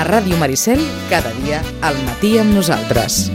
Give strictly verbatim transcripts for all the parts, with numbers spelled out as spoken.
A Ràdio Maricel, cada dia al matí amb nosaltres.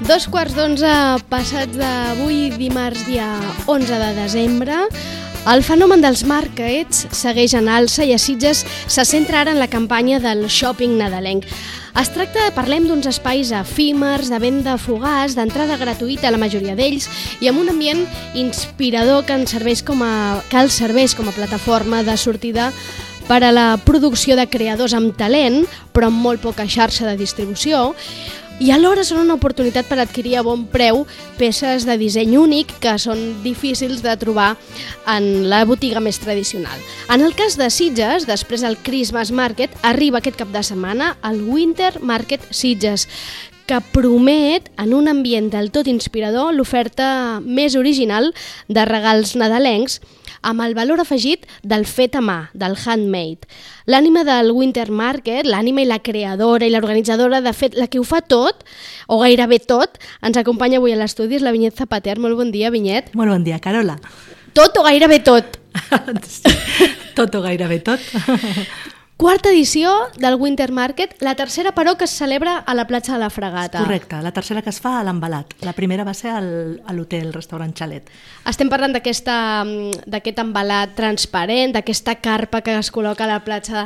Dos quarts d'onze passats d'avui, dimarts dia onze de desembre. El fenomen dels markets segueix en alça i a Sitges se centra ara en la campanya del shopping nadalenc. Es tracta, parlem d'uns espais efímers, de venda fugaç, d'entrada gratuïta a la majoria d'ells i amb un ambient inspirador que, ens serveix com a, que els serveix com a plataforma de sortida per a la producció de creadors amb talent, però amb molt poca xarxa de distribució, i alhora són una oportunitat per adquirir a bon preu peces de disseny únic que són difícils de trobar en la botiga més tradicional. En el cas de Sitges, després del Christmas Market, arriba aquest cap de setmana el Winter Market Sitges, que promet, en un ambient del tot inspirador, l'oferta més original de regals nadalencs amb el valor afegit del fet a mà, del handmade. L'ànima del Winter Market, l'ànima i la creadora i l'organitzadora, de fet, la que ho fa tot, o gairebé tot, ens acompanya avui a l'estudi, és la Vinyet Zapater. Molt bon dia, Vinyet. Molt bon dia, Carola. Tot o gairebé tot? Tot o gairebé tot. Quarta edició del Winter Market, la tercera, però, que es celebra a la platja de la Fregata. Correcte, la tercera que es fa a l'Embalat. La primera va ser al, a l'hotel, restaurant Xalet. Estem parlant d'aquesta, d'aquest embalat transparent, d'aquesta carpa que es col·loca a la platja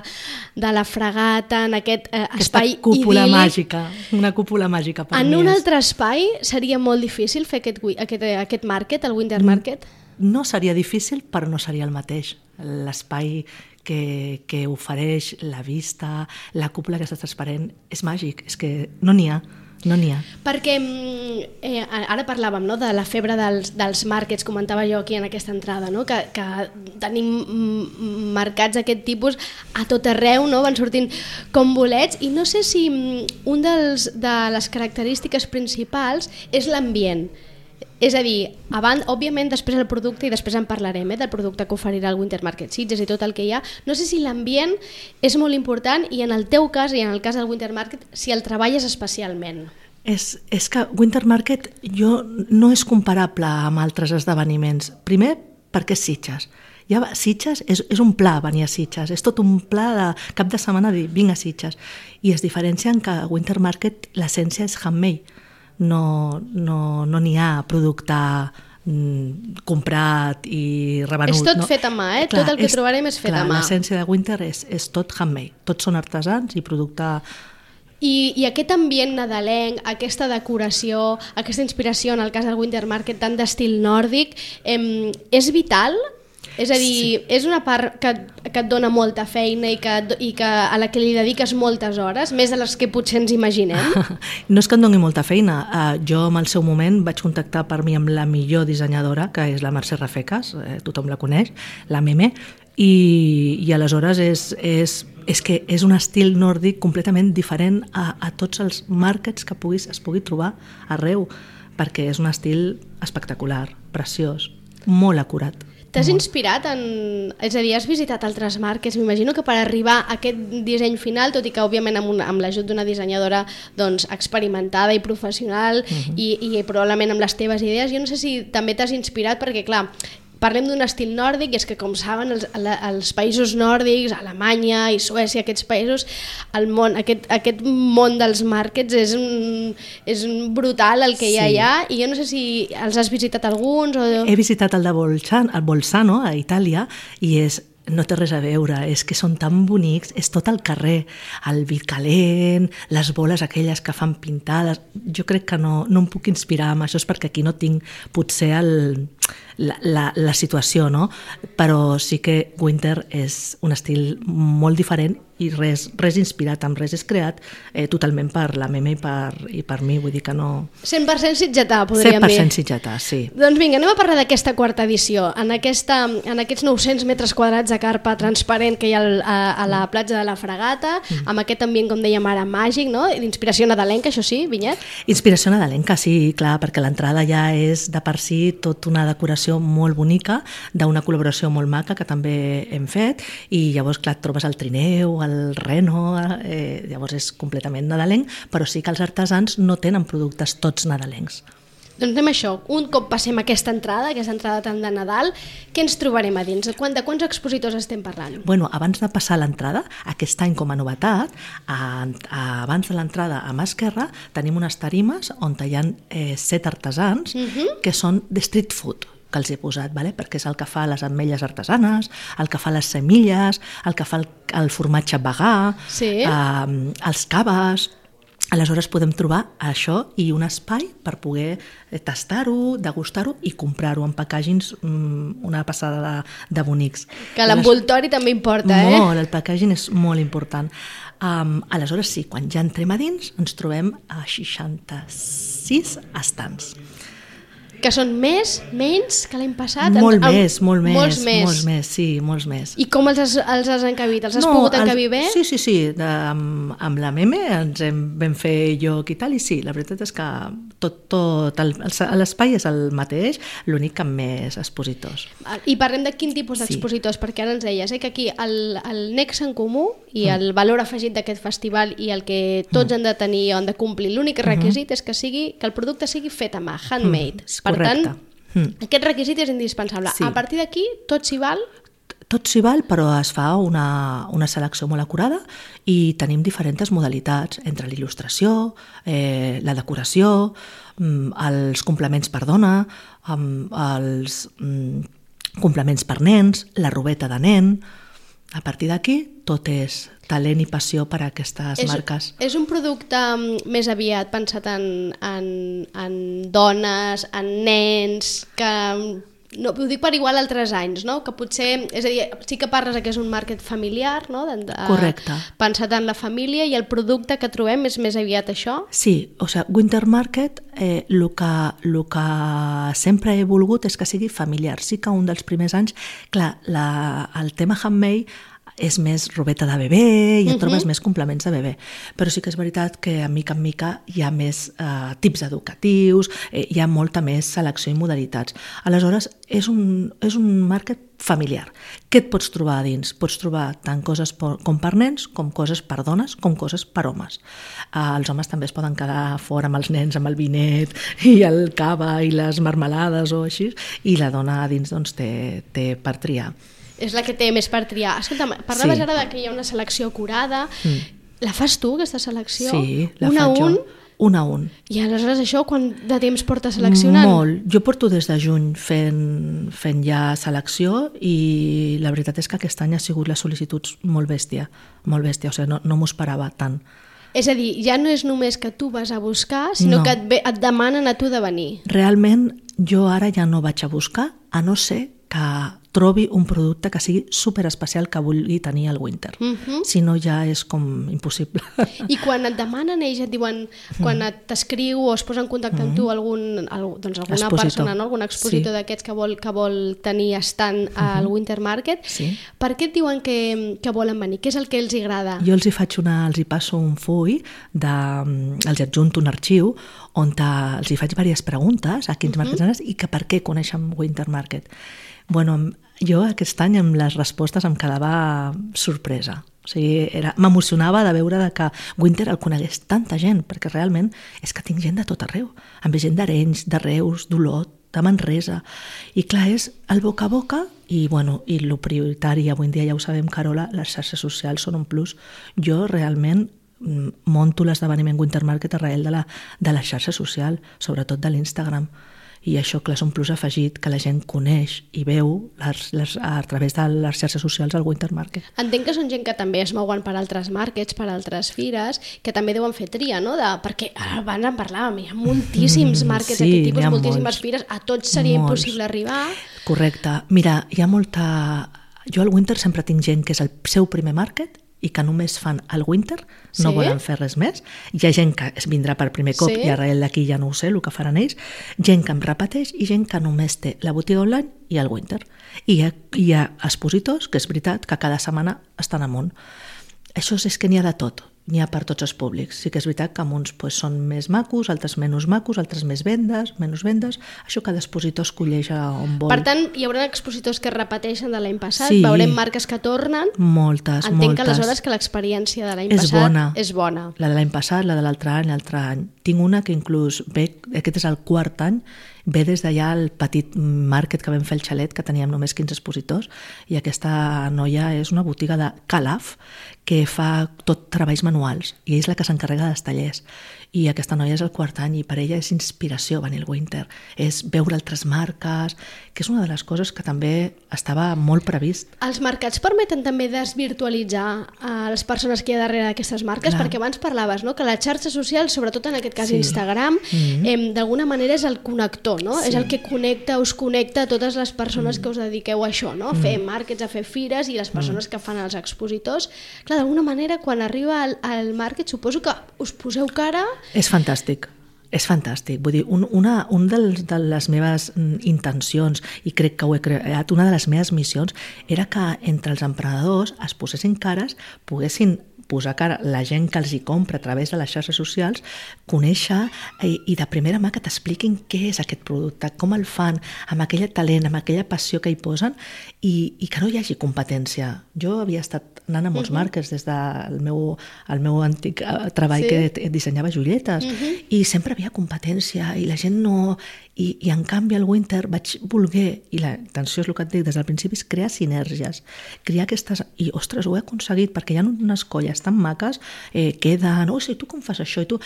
de la Fregata, en aquest eh, espai idíl·lic. Aquesta cúpula màgica, una cúpula màgica per en mi. En un és... altre espai seria molt difícil fer aquest, aquest, aquest market, el Winter Market? No seria difícil, però no seria el mateix. L'espai que, que ofereix, la vista, la cúpula aquesta transparent, és màgic, és que no n'hi ha. No n'hi ha. Perquè eh, ara parlàvem, no, de la febre dels, dels markets, comentava jo aquí en aquesta entrada, no, que, que tenim mercats d'aquest tipus a tot arreu, no, van sortint com bolets, i no sé si un dels, de les característiques principals és l'ambient. És a dir, abans, òbviament després el producte, i després en parlarem, eh, del producte que oferirà el Winter Market Sitges i tot el que hi ha, no sé si l'ambient és molt important i en el teu cas i en el cas del Winter Market si el treballes especialment. És, és que Winter Market jo no és comparable amb altres esdeveniments. Primer, perquè és Sitges. Ja va, Sitges és, és un pla venir a Sitges, és tot un pla de cap de setmana dir vinc a Sitges. I es diferencia en que Winter Market l'essència és handmade. No no, no n'hi ha producte mm, comprat i revenut. És tot no? fet a mà, eh? Clar, tot el que és, trobarem és fet clar, a mà. L'essència de Winter és, és tot handmade. Tots són artesans i producte... I, I aquest ambient nadalenc, aquesta decoració, aquesta inspiració en el cas del Winter Market tant d'estil nòrdic, eh, és vital? És a dir, sí. És una part que, que et dona molta feina i que, i que a la que li dediques moltes hores, més de les que potser ens imaginem? No és que em doni molta feina. Uh, jo, en el seu moment, vaig contactar per mi amb la millor dissenyadora, que és la Mercè Rafecas, eh, tothom la coneix, la Meme, i, i aleshores és, és, és que és un estil nòrdic completament diferent a, a tots els markets que puguis, es pugui trobar arreu, perquè és un estil espectacular, preciós, molt acurat. T'has inspirat en... És a dir, has visitat altres marques? M'imagino que per arribar a aquest disseny final, tot i que òbviament amb, una, amb l'ajut d'una dissenyadora doncs, experimentada i professional uh-huh. i, i probablement amb les teves idees, jo no sé si també t'has inspirat perquè, clar, parlem d'un estil nòrdic i és que, com saben, els, els països nòrdics, Alemanya i Suècia, aquests països, el món, aquest, aquest món dels markets és, un, és un brutal el que hi ha sí. allà, i jo no sé si els has visitat alguns o... He visitat el de Bolzano, el Bolzano a Itàlia, i és no té res a veure, és que són tan bonics, és tot el carrer, el vi calent, les boles aquelles que fan pintades, jo crec que no, no em puc inspirar amb això, és perquè aquí no tinc potser el, la, la, la situació, no? Però sí que Winter és un estil molt diferent i res, res inspirat, amb res és creat eh, totalment per la Meme i per, i per mi, vull dir que no... cent per cent sitgetà, podríem dir. cent per cent sitgetà, sí. Doncs vinga, anem a parlar d'aquesta quarta edició. En, aquesta, en aquests nou-cents metres quadrats de carpa transparent que hi ha al, a, a la platja de la Fragata, mm. amb aquest ambient, com dèiem ara, màgic, no? D'inspiració nadalenca, això sí, Vinyet? Inspiració nadalenca, sí, clar, perquè l'entrada ja és de per si tot una decoració molt bonica, d'una col·laboració molt maca que també hem fet, i llavors, clar, et trobes el trineu, el reno, eh, llavors és completament nadalenc, però sí que els artesans no tenen productes tots nadalencs. Doncs anem a això, un cop passem aquesta entrada, aquesta entrada tan de Nadal, què ens trobarem a dins? De quants expositors estem parlant? Bueno, abans de passar l'entrada, aquest any com a novetat, a, a, abans de l'entrada a mà esquerra, tenim unes tarimes on hi ha eh, set artesans uh-huh. que són de street food, que els he posat, vale? Perquè és el que fa les ametlles artesanes, el que fa les semilles, el que fa el, el formatge vegà, sí. eh, els caves. Aleshores podem trobar això i un espai per poder tastar-ho, degustar-ho i comprar-ho en packagings, una passada de, de bonics. Que l'envoltori també importa, eh? Molt, el packaging és molt important. Um, aleshores sí, quan ja entrem a dins ens trobem a seixanta-sis estants. Que són més, menys que l'any passat? Molt en, més, molt més, molts més. Molts més, sí, molts més. I com els has, els has encabit? Els has no, pogut encabir bé? Sí, sí, sí. De, amb, amb la Meme ens hem, vam fer lloc i tal, i sí, la veritat és que tot, tot el, l'espai és el mateix, l'únic que amb més expositors. I parlem de quin tipus d'expositors, sí. Perquè ara ens deies eh, que aquí el, el nexe en comú i mm. el valor afegit d'aquest festival i el que tots mm. han de tenir o han de complir, l'únic requisit mm-hmm. és que, sigui, que el producte sigui fet a mà, handmade. Mm. Per Correcte. tant, mm. aquest requisit és indispensable. Sí. A partir d'aquí, tot s'hi val? Tot s'hi val, però es fa una, una selecció molt acurada i tenim diferents modalitats entre l'il·lustració, eh, la decoració, els complements per dona, els complements per nens, la robeta de nen. A partir d'aquí, tot és talent i passió per a aquestes és, marques. És un producte més aviat pensat en, en, en dones, en nens, que... No, ho dic per igual altres anys, no? Que potser, és a dir, sí que parles que és un màrquet familiar, no? De, de, Correcte. Pensat en la família, i el producte que trobem és més aviat això? Sí, o sigui, Winter Market, eh, el que, el que sempre he volgut és que sigui familiar. Sí que un dels primers anys, clar, la, el tema handmade és més robeta de bebè i et uh-huh. trobes més complements de bebè. Però sí que és veritat que a mica en mica hi ha més eh, tips educatius, eh, hi ha molta més selecció i modalitats. Aleshores, és un, és un màrquet familiar. Què et pots trobar a dins? Pots trobar tant coses per, com per nens, com coses per dones, com coses per homes. Eh, els homes també es poden quedar fora amb els nens, amb el vinet i el cava i les marmelades o així, i la dona a dins doncs, té, té per triar. És la que té més per triar. Escolta, parlaves sí. ara de que hi ha una selecció acurada. Mm. La fas tu, aquesta selecció? Sí, la un faig a un? jo. Un a un. I aleshores això, quant de temps portes seleccionant? Molt. Jo porto des de juny fent, fent ja selecció i la veritat és que aquest any ha sigut les sol·licituds molt bèstia. Molt bèstia, o sigui, no, no m'ho esperava tant. És a dir, ja no és només que tu vas a buscar, sinó no. que et, ve, et demanen a tu de venir. Realment, jo ara ja no vaig a buscar, a no ser que trobi un producte que sigui superespecial que vulgui tenir el Winter. Uh-huh. Si no, ja és com impossible. I quan et demanen, ells et diuen, quan et t'escriu o es posa en contacte amb tu algun, doncs alguna expositor. persona, no? Algun expositor sí. d'aquests que vol, que vol tenir estant al uh-huh. Winter Market, sí. per què et diuen que, que volen venir? Què és el que els agrada? Jo els hi faig una, els hi passo un full, de, els adjunto un arxiu on te, els hi faig diverses preguntes a quins uh-huh. marquets i que per què coneixen Winter Market. Bueno, jo aquest any amb les respostes em quedava sorpresa. O sigui, era, m'emocionava de veure de que Winter el conegués tanta gent, perquè realment és que tinc gent de tot arreu. Amb gent d'Arenys, de Reus, d'Olot, de Manresa. I clar, és el boca a boca i, bueno, i el prioritari, avui en dia ja ho sabem, Carola, les xarxes socials són un plus. Jo realment monto l'esdeveniment Winter Market arrel de la, de la xarxa social, sobretot de l'Instagram. I això, clar, és un plus afegit que la gent coneix i veu les, les, a través de les xarxes socials al Winter Market. Entenc que són gent que també es mouen per altres markets, per altres fires, que també deuen fer tria, no? De, perquè abans en parlàvem, hi ha moltíssims markets sí, d'aquest tipus, moltíssimes molts, fires, a tots seria molts. impossible arribar. Correcte. Mira, hi ha molta... Jo al Winter sempre tinc gent que és el seu primer market i que només fan el Winter, no Sí? volen fer res més. Hi ha gent que es vindrà per primer cop Sí? i arrel d'aquí ja no ho sé el que faran ells, gent que em repeteix i gent que només té la botiga online i el Winter. I hi ha, hi ha expositors, que és veritat, que cada setmana estan amunt. Això és que n'hi ha de tot, n'hi ha per tots els públics. Sí que és veritat que uns pues, són més macos, altres menys macos, altres més vendes, menys vendes. Això cada expositor escolleix on vol. Per tant, hi haurà expositors que repeteixen de l'any passat, Sí. veurem marques que tornen. Moltes, Entenc moltes. que aleshores que l'experiència de l'any És passat bona. és bona. La de l'any passat, la de l'altre any, l'altre any. Tinc una que inclús ve, aquest és el quart any, ve des d'allà el petit market que vam fer el xalet, que teníem només quinze expositors, i aquesta noia és una botiga de Calaf, que fa tot treballs manuals, i és la que s'encarrega dels tallers. I aquesta noia és el quart any, i per ella és inspiració venir al Winter, és veure altres marques, que és una de les coses que també estava molt previst. Els mercats permeten també desvirtualitzar a les persones que hi ha darrere d'aquestes marques, Clar. perquè abans parlaves, no?, que la xarxa social, sobretot en aquest cas Sí. Instagram, Mm-hmm. eh, d'alguna manera és el connector, no? Sí. És el que connecta, us connecta a totes les persones mm. que us dediqueu a això, no? A fer markets, a fer fires, i les persones mm. que fan els expositors. Clar, d'alguna manera, quan arriba al, al market, suposo que us poseu cara... És fantàstic. És fantàstic, vull dir, un, una un dels, de les meves mm, intencions, i crec que ho he creat, una de les meves missions, era que entre els emprenedors es posessin cares, poguessin posar cara la gent que els hi compra a través de les xarxes socials, conèixer i, i de primera mà que t'expliquin què és aquest producte, com el fan, amb aquell talent, amb aquella passió que hi posen, i, i que no hi hagi competència. Jo havia estat anant a molts uh-huh. marques des del meu, el meu antic eh, treball Sí. que dissenyava joietes, uh-huh. i sempre havia competència, i la gent no... I, i en canvi al Winter vaig voler, i la intenció és el que et dic des del principi, és crear sinergies, crear aquestes... I, ostres, ho he aconseguit, perquè hi ha unes colles tan maques, eh, queden, oh, sí, tu com fas això? I tu...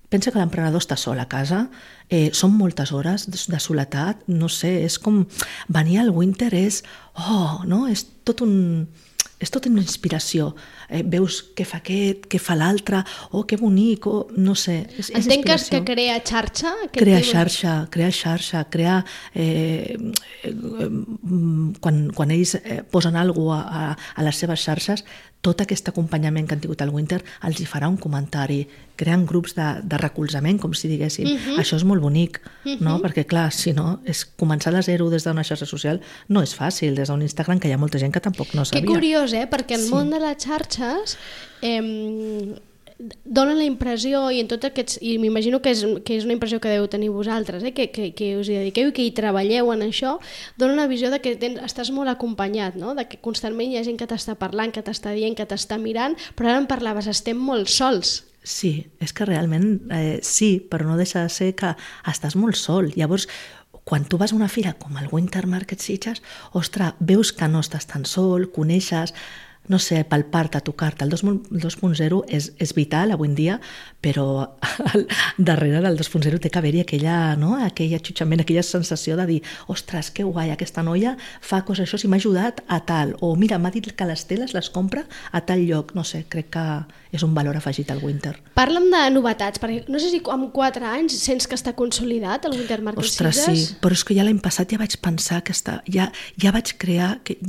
Pensa que l'emprenedor està sol a casa, eh, són moltes hores de, de soledat, no sé, és com... Venir al Winter és... Oh, no? És tot un... És tota una inspiració. Eh, veus què fa aquest, què fa l'altre, oh, que bonic, oh, no sé. És, és Entenc que, inspiració. que crea xarxa? aquest Crear tipus- xarxa, crear xarxa, crear... Eh, eh, quan, quan ells eh, posen alguna cosa a, a les seves xarxes, tot aquest acompanyament que han tingut al Winter els hi farà un comentari, creant grups de, de recolzament, com si diguéssim. Uh-huh. Això és molt bonic, uh-huh. no? Perquè, clar, si no, és començar de zero des d'una xarxa social no és fàcil, des d'un Instagram, que hi ha molta gent que tampoc no sabia. Que curiós, eh? Perquè el Sí. món de les xarxes eh, dona la impressió, i en tots aquests, i m'imagino que és, que és una impressió que deu tenir vosaltres, eh? que, que, que us hi dediqueu i que hi treballeu en això, dona una visió de que tens, estàs molt acompanyat, no? De que constantment hi ha gent que t'està parlant, que t'està dient, que t'està mirant, però ara em parlaves, estem molt sols. Sí, és que realment eh, sí, però no deixa de ser que estàs molt sol. Llavors, quan tu vas a una fira com el Winter Market Sitges, ostres, veus que no estàs tan sol, coneixes, no sé, palpar-te, tocar-te. El dos punt zero és, és vital avui en dia, però al, darrere del dos punt zero té que haver-hi aquella, no? aquell atxutxament, aquella sensació de dir, ostres, que guai, aquesta noia fa coses això, si m'ha ajudat a tal, o mira, m'ha dit que les teles les compra a tal lloc. No sé, crec que és un valor afegit al Winter. Parla'm de novetats, perquè no sé si amb quatre anys sents que està consolidat el Winter Market Ostres, Sitges. sí, però és que ja l'any passat ja vaig pensar que està, ja, ja vaig crear... que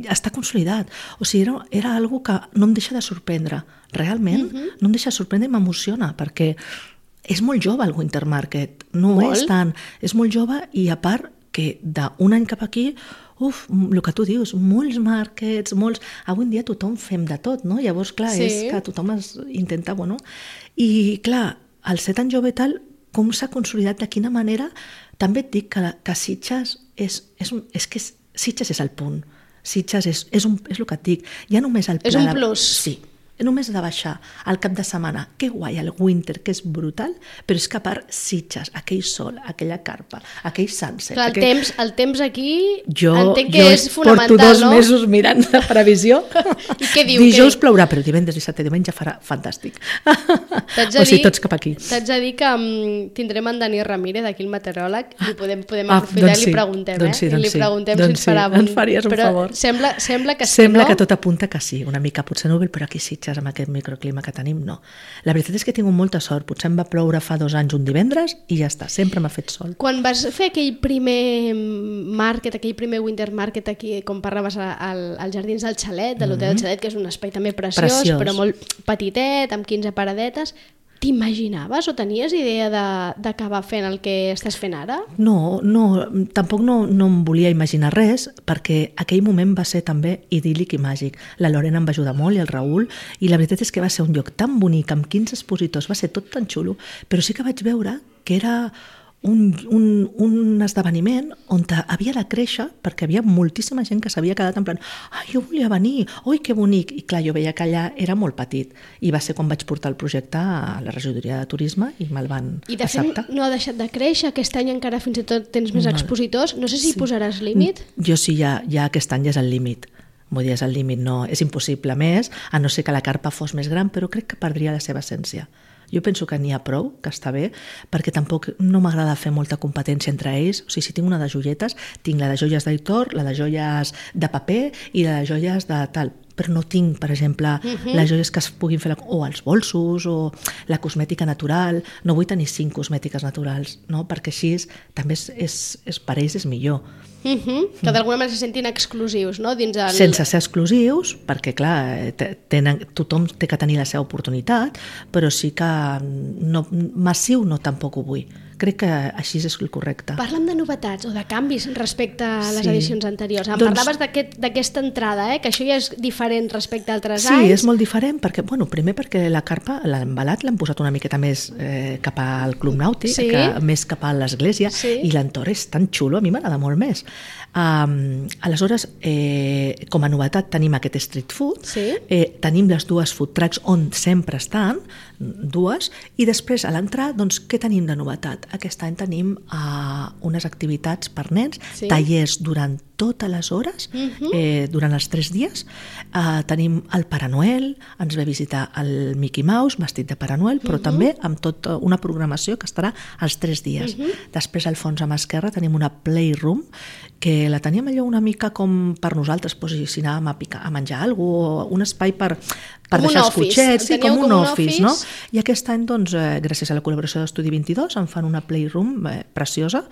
està consolidat. O sigui, era, era algo que no em deixa de sorprendre. Realment, uh-huh. no em deixa de sorprendre i m'emociona, perquè és molt jove el Winter Market. No Molt. és tant. És molt jove i a part que d'un any cap aquí, uf, el que tu dius, molts markets, molts... Avui en dia tothom fem de tot, no? Llavors, clar, Sí. és que tothom es intenta, bueno... I, clar, al ser tan jove i tal, com s'ha consolidat, de quina manera... També et dic que, que Sitges és, és, un, és que és, Sitges és el punt. Sitges és, és, un, és el que et dic. Ja només el És pla un de- plus. Sí, només de baixar al cap de setmana, que guai, el winter, que és brutal, però és que a part Sitges, aquell sol, aquella carpa, aquell sunset... Clar, el, aquell... temps, el temps aquí jo, entenc que jo és fonamental, porto dos no? mesos mirant la previsió. I què diu? Dijous què? plourà, però divendres, dissabte i diumenge farà fantàstic. T'haig de O sigui, dir- tots cap aquí. T'haig de dir que um, tindrem en Dani Ramírez, aquí el meteoròleg, i podem, podem Ah, aprofitar doncs i li sí, preguntem, doncs sí, eh? I li doncs sí, preguntem doncs si ens sí, farà... ens faries un però favor. Sembla, sembla que Sembla sí, no? que tot apunta que sí, una mica potser núvol, però aquí Sitges, amb aquest microclima que tenim, no. La veritat és que he tingut molta sort. Potser em va ploure fa dos anys un divendres i ja està, sempre m'ha fet sol. Quan vas fer aquell primer market, aquell primer winter market aquí, com parlaves al, als jardins del Xalet, de l'hotel del Xalet, que és un espai també preciós, Preciós. però molt petitet, amb quinze paradetes, t'imaginaves o tenies idea de- d'acabar fent el que estàs fent ara? No, no, tampoc no, no em volia imaginar res, perquè aquell moment va ser també idíl·lic i màgic. La Lorena em va ajudar molt i el Raül, i la veritat és que va ser un lloc tan bonic, amb quinze expositors, va ser tot tan xulo, però sí que vaig veure que era un, un, un esdeveniment on havia de créixer, perquè havia moltíssima gent que s'havia quedat en plan ai, jo volia venir, oi, que bonic, i clar, jo veia que allà era molt petit, i va ser quan vaig portar el projecte a la regidoria de turisme i me'l van I de acceptar. fet no ha deixat de créixer, aquest any encara fins i tot tens més No. expositors, no sé si Sí. posaràs límit? Jo sí, ja, ja aquest any ja és el límit. Vull dir, és el límit, no, és impossible més, a no ser que la carpa fos més gran, però crec que perdria la seva essència. Jo penso que n'hi ha prou, que està bé, perquè tampoc no m'agrada fer molta competència entre ells. O sigui, si tinc una de joietes, tinc la de joies d'Aitor, la de joies de paper i la de joies de tal. Però no tinc, per exemple, uh-huh. les joies que es puguin fer, o els bolsos, o la cosmètica natural. No vull tenir cinc cosmètiques naturals, no? Perquè així és, també és, és, és, per ells és millor. Uh -huh. Que d'alguna manera se sentin exclusius, no? Dins el... Sense ser exclusius, perquè clar, tenen, tothom té que tenir la seva oportunitat, però sí que no, massiu no tampoc ho vull. Crec que així és el correcte. Parla'm de novetats o de canvis respecte a les Sí. edicions anteriors. Em Doncs- parlaves d'aquest- d'aquesta entrada, eh? Que això ja és diferent respecte a altres Sí, anys. és molt diferent, perquè, bueno, primer perquè la carpa, l'embalat l'han posat una miqueta més eh, cap al Club Nàutic, Sí. que, més cap a l'església, Sí. i l'entorn és tan xulo, a mi m'agrada molt més. Um, aleshores, eh, com a novetat tenim aquest street food, Sí. eh, tenim les dues food trucks on sempre estan, dues, i després a l'entrar, doncs, què tenim de novetat? Aquest any tenim uh, unes activitats per nens, Sí. tallers durant totes les hores, Mhm. eh, durant els tres dies. Uh, tenim el Pare Noel, ens ve a visitar el Mickey Mouse vestit de Pare Noel, però també amb tota una programació que estarà els tres dies. Després, al fons a mà esquerra, tenim una playroom que la teníem allò una mica com per nosaltres, posicionàvem a, picar, a menjar alguna cosa, un espai per, per Com un deixar els office. cotxets, sí, Teníeu com un com un office, no? office. I aquest any, doncs, eh, gràcies a la col·laboració d'Estudi vint-i-dos, em fan una playroom eh, preciosa,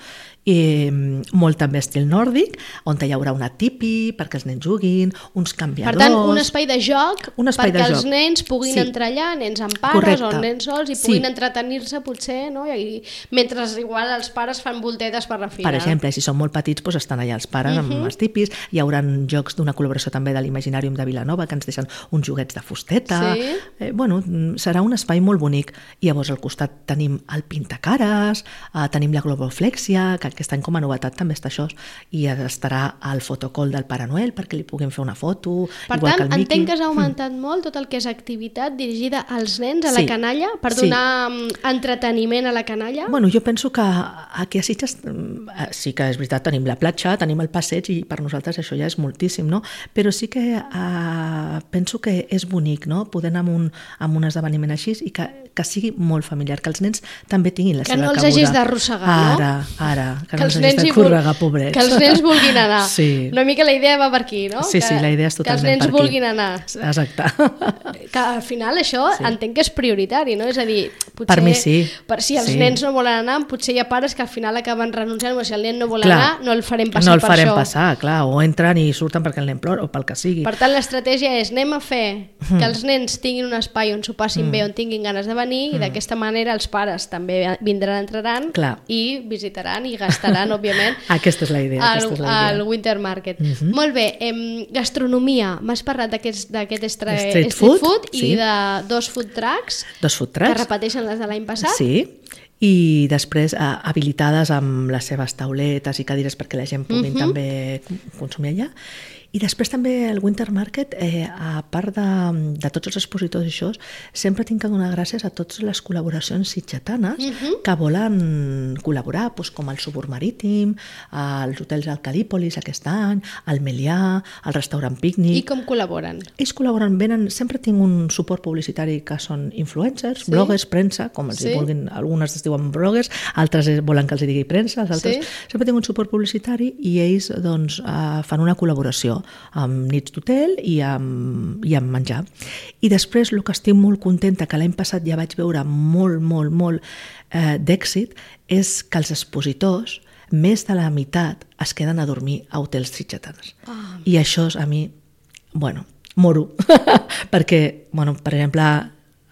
i molt també estil nòrdic, on hi haurà una tipi perquè els nens juguin, uns canviadors... Per tant, un espai de joc Un espai perquè de els joc. nens puguin Sí. entrar allà, nens amb pares Correcte. o nens sols, i Sí. puguin entretenir-se potser, no? I, mentre igual els pares fan voltetes per la fira. Per exemple, si són molt petits, doncs estan allà els pares amb els tipis. Hi haurà jocs d'una col·laboració també de l'Imaginàrium de Vilanova, que ens deixen uns joguets de fusteta. Sí. Eh, bueno, serà un espai molt bonic. I llavors al costat tenim el Pintacares, eh, tenim la Globoflexia, que aquest any com a novetat també està això, i estarà el fotocall del Pare Noel perquè li puguin fer una foto, Per igual tant, que el Mickey. entenc que has augmentat mm. molt tot el que és activitat dirigida als nens, a Sí. la canalla, per Sí. donar mm, entreteniment a la canalla. Bueno, jo penso que aquí a Sitges eh, sí que és veritat, tenim la platja, tenim el passeig i per nosaltres això ja és moltíssim, no? Però sí que eh, penso que és bonic, no? Poder anar amb un, amb un esdeveniment així i que, que sigui molt familiar, que els nens també tinguin la Que seva no els cabuda. hagis d'arrossegar, no? Ara, ara, que, Que no els els hagis nens de hi vul- corregar, pobrets. Que els nens vulguin anar. Sí. Una mica la idea va per aquí, no? Sí, que, sí, la idea és que els totalment nens per aquí. vulguin anar. Exacte. Que al final això Sí. entenc que és prioritari, no? És a dir, potser, Per mi sí. Per si els Sí. nens no volen anar, potser hi ha pares que al final acaben renunciant, o si el nen no vol Clar. anar, no el farem passar no el per farem això. passar, clar, o entren i surten perquè el nen plora o pel que sigui. Per tant, l'estratègia és anem a fer Mm. que els nens tinguin un espai on s'ho passin bé, on tinguin ganes de venir, Mm. i d'aquesta manera els pares també vindran, entraran Clar. i visitaran i gastaran, òbviament, Aquesta és la idea. al, aquesta és la idea. al Winter Market. Mhm. Molt bé, em, gastronomia. M'has parlat d'aquest d'aquest estra- Street street food, food sí. i de dos food trucks Dos food que trucks. repeteixen les de l'any passat. Sí, i després eh, habilitades amb les seves tauletes i cadires perquè la gent pugui Mhm. també consumir allà. I després també el Winter Market, eh, a part de, de tots els expositors i això, sempre tinc que donar gràcies a totes les col·laboracions sitgetanes uh-huh. que volen col·laborar, doncs, com el Subur Marítim, els hotels al Calípolis aquest any, el Melià, el restaurant Pícnic. I com col·laboren? Ells col·laboren, venen, sempre tinc un suport publicitari que són influencers, sí? bloggers, premsa, com els sí? vulguin, algunes es diuen bloggers, altres volen que els digui premsa, els altres... Sí? Sempre tinc un suport publicitari i ells doncs, eh, fan una col·laboració amb nits d'hotel i amb, i amb menjar. I després el que estic molt contenta, que l'any passat ja vaig veure molt, molt, molt eh, d'èxit, és que els expositors, més de la meitat, es queden a dormir a hotels sitgetans. Oh. I això a mi, bueno, moro, perquè, bueno, per exemple,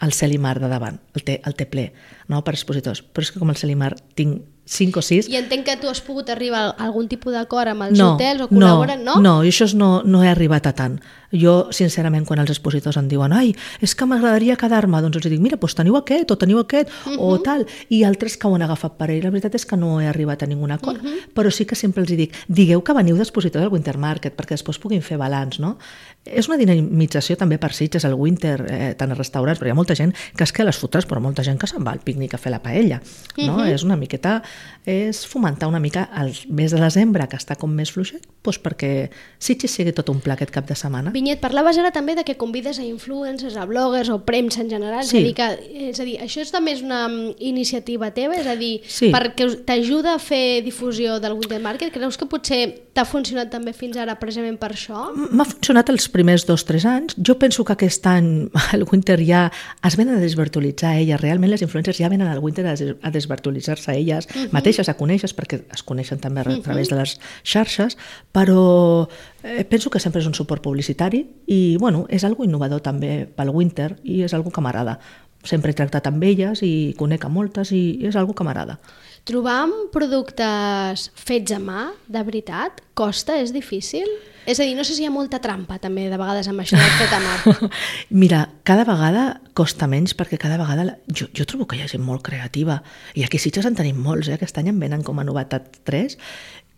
el Celimar de davant, el té, el té ple, no, per expositors, però és que com el Celimar tinc cinc o sis... I entenc que tu has pogut arribar a algun tipus d'acord amb els no, hotels o col·laboren, no? No, no, i això no, no he arribat a tant. Jo, sincerament, quan els expositors em diuen ai, és que m'agradaria quedar-me, doncs els dic, mira, doncs teniu aquest o teniu aquest uh-huh. o tal, i altres que ho han agafat per ell. La veritat és que no he arribat a ningun acord, uh-huh. però sí que sempre els dic, digueu que veniu d'expositors al Winter Market, perquè després puguin fer balanç, no? És una dinamització també per Sitges, el Winter, eh, tant als restaurants, però hi ha molta gent que es queda a les fotres, però molta gent que se'n va al pícnic a fer la paella, no? Uh-huh. És una miqueta, és fomentar una mica el mes de desembre, que està com més fluixet, doncs perquè Sitges sigui tot un pla aquest cap de setmana. Vinyet, parlaves ara també de que convides a influencers, a bloggers o premsa en general, sí. és, a dir, que, és a dir, això és també és una iniciativa teva, és a dir, sí. perquè t'ajuda a fer difusió del Winter Market, creus que potser t'ha funcionat també fins ara precisament per això? M'ha funcionat els primers dos o tres anys, jo penso que aquest any el Winter ja es venen a desvirtualitzar elles, realment les influencers ja venen al Winter a desvirtualitzar-se elles uh-huh. mateixes, a conèixer, perquè es coneixen també a uh-huh. través de les xarxes, però eh, penso que sempre és un suport publicitari i bueno, és algo innovador també pel Winter i és algo que m'agrada. Sempre he tractat amb elles i conec a moltes i és algo que m'agrada. Trobar productes fets a mà, de veritat, costa, és difícil? És a dir, no sé si hi ha molta trampa també de vegades amb això de fet a mà. Mira, cada vegada costa menys perquè cada vegada... Jo, jo trobo que hi ha gent molt creativa i aquí Sitges en tenim molts, eh? Aquest any en venen com a novetat tres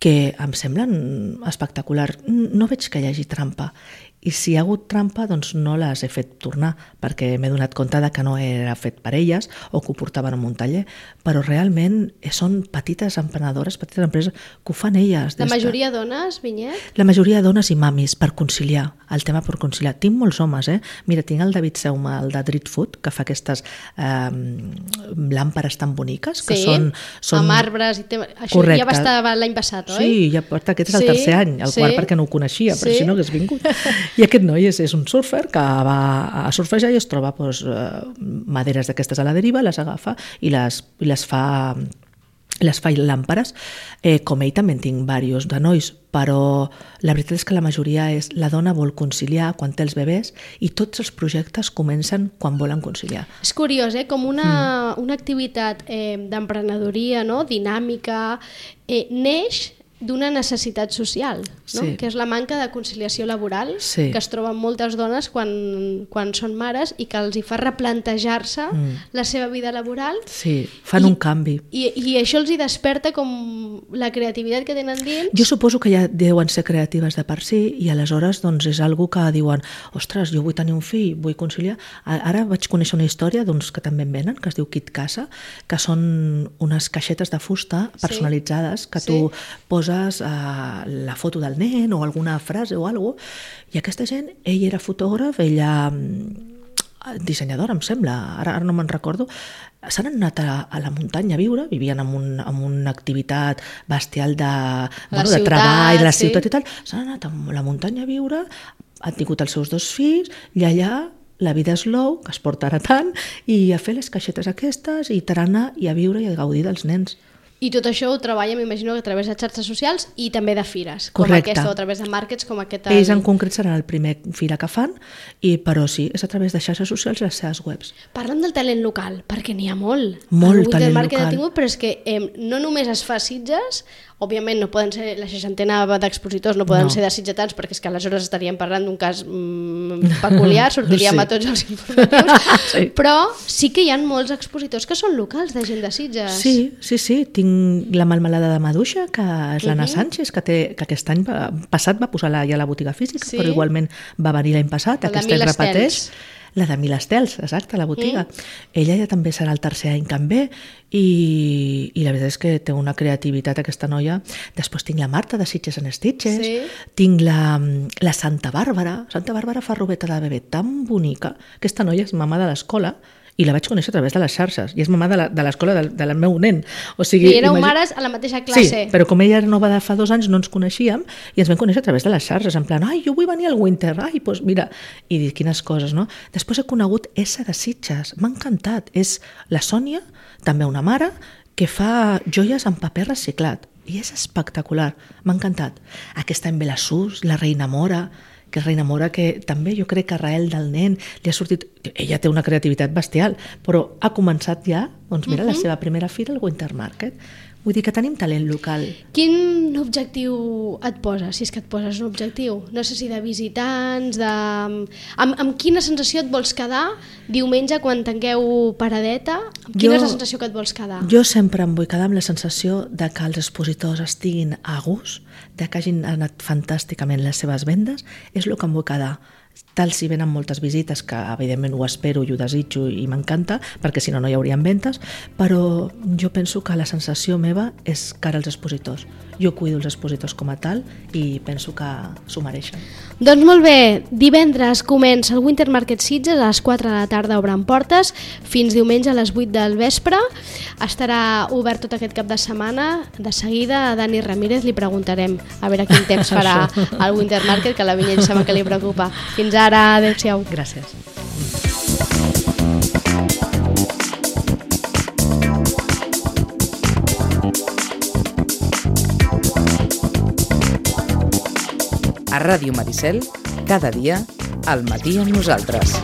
que em semblen espectacular. No veig que hi hagi trampa. I si hi ha hagut trampa, doncs no les he fet tornar, perquè m'he donat compte de que no era fet per elles o que ho portaven en un taller, però realment són petites emprenedores, petites empreses que ho fan elles. La majoria de... dones, Vinyet? La majoria de dones i mamis, per conciliar, el tema per conciliar. Tinc molts homes, eh? Mira, tinc el David Seuma, el de Dread Food, que fa aquestes eh, làmperes tan boniques, que sí, són, són... amb arbres i tema... Això correcte. Ja va estar l'any passat, oi? Sí, ja porta, aquest és el sí, tercer any, el sí. quart perquè no ho coneixia, però sí. si no hagués vingut. I aquest noi és, és un surfer que va a surfejar i es troba doncs, maderes d'aquestes a la deriva, les agafa i les, i les fa les fa làmperes. Eh, com ell també en tinc diversos de nois, però la veritat és que la majoria és la dona vol conciliar quan té els bebès i tots els projectes comencen quan volen conciliar. És curiós, eh? Com una, mm. una activitat eh, d'emprenedoria, no? Dinàmica, eh, neix d'una necessitat social, no? Sí. Que és la manca de conciliació laboral sí. que es troben moltes dones quan, quan són mares i que els hi fa replantejar-se mm. la seva vida laboral. Sí, fan I, un canvi. I, I això els hi desperta com la creativitat que tenen dins. Jo suposo que ja deuen ser creatives de per si i aleshores doncs, és algo que diuen ostres, jo vull tenir un fill, vull conciliar. Ara vaig conèixer una història d'uns que també en venen, que es diu Kit Casa, que són unes caixetes de fusta personalitzades que tu sí. poses Uh, la foto del nen o alguna frase o alguna cosa, i aquesta gent, ell era fotògraf, ella dissenyadora, em sembla, ara, ara no me'n recordo, s'han anat a, a la muntanya a viure, vivien en, un, en una activitat bestial de, bueno, ciutat, de treball, de la sí. ciutat i tal, s'han anat a la muntanya a viure, han tingut els seus dos fills, i allà la vida és low, que es porta ara tant, i a fer les caixetes aquestes, i tarana, i a viure i a gaudir dels nens. I tot això ho treballa, m'imagino, a través de xarxes socials i també de fires, correcte. Com aquesta, o a través de markets com aquest. Ells en concret seran el primer fira que fan, i, però sí, és a través de xarxes socials i les seves webs. Parlant del talent local, perquè n'hi ha molt. Molt talent local. local. Tingut, però és que eh, no només es fa Sitges, òbviament no poden ser, la seixantena d'expositors no poden no. ser de sitgetans, perquè és que aleshores estaríem parlant d'un cas mm, peculiar, sortiríem sí. a tots els informatius, sí. però sí que hi ha molts expositors que són locals, de gent de Sitges. Sí, sí, sí, tinc tinc la melmelada de maduixa, que és l'Anna Mhm. Sánchez, que, té, que aquest any va, passat va posar la, ja a la botiga física, Sí. però igualment va venir l'any passat, La de aquest any Mil repeteix. Estels. La de Mil Estels, exacte, la botiga. Mm. Ella ja també serà el tercer any que em ve i, i la veritat és que té una creativitat aquesta noia. Després tinc la Marta de Sitges and Stitches, Sí. tinc la, la Santa Bàrbara. Santa Bàrbara fa robeta de bebè tan bonica. Aquesta noia és mamà de l'escola i la vaig conèixer a través de les xarxes i és mamà de la- de l'escola del, del meu nen. O sigui, I éreu imagi- mares a la mateixa classe. Sí, però com ella era nova de fa dos anys no ens coneixíem i ens vam conèixer a través de les xarxes, en plan, ai, jo vull venir al Winter, ai, doncs mira, i dir quines coses, no? Després he conegut essa de Sitges, m'ha encantat, és la Sònia, també una mare, que fa joies en paper reciclat i és espectacular, m'ha encantat. Aquest any ve la Sus, la Reina Mora, que és Reina Mora, que també jo crec que a Rael del nen li ha sortit... Ella té una creativitat bestial, però ha començat ja, doncs mira, uh-huh. la seva primera fira al Winter Market. Vull dir que tenim talent local. Quin objectiu et poses, si és que et poses un objectiu? No sé si de visitants, de... Amb, amb quina sensació et vols quedar diumenge quan tanqueu paradeta? Amb quina Jo- és la sensació que et vols quedar? Jo sempre em vull quedar amb la sensació de que els expositors estiguin a gust, de que hagin anat fantàsticament les seves vendes, és el que em vull quedar. Tal si venen moltes visites, que evidentment ho espero i ho desitjo i m'encanta, perquè si no no hi haurien ventes, però jo penso que la sensació meva és cara als expositors. Jo cuido els expositors com a tal i penso que s'ho mereixen. Doncs molt bé, divendres comença el Winter Market Sitges, a les quatre de la tarda obren portes, fins diumenge a les vuit del vespre. Estarà obert tot aquest cap de setmana. De seguida a Dani Ramírez li preguntarem a veure quin temps farà al Winter Market, que la vinya sembla que li preocupa. Fins ara, adéu-siau. Gràcies. A Ràdio Maricel, cada dia, al matí amb nosaltres.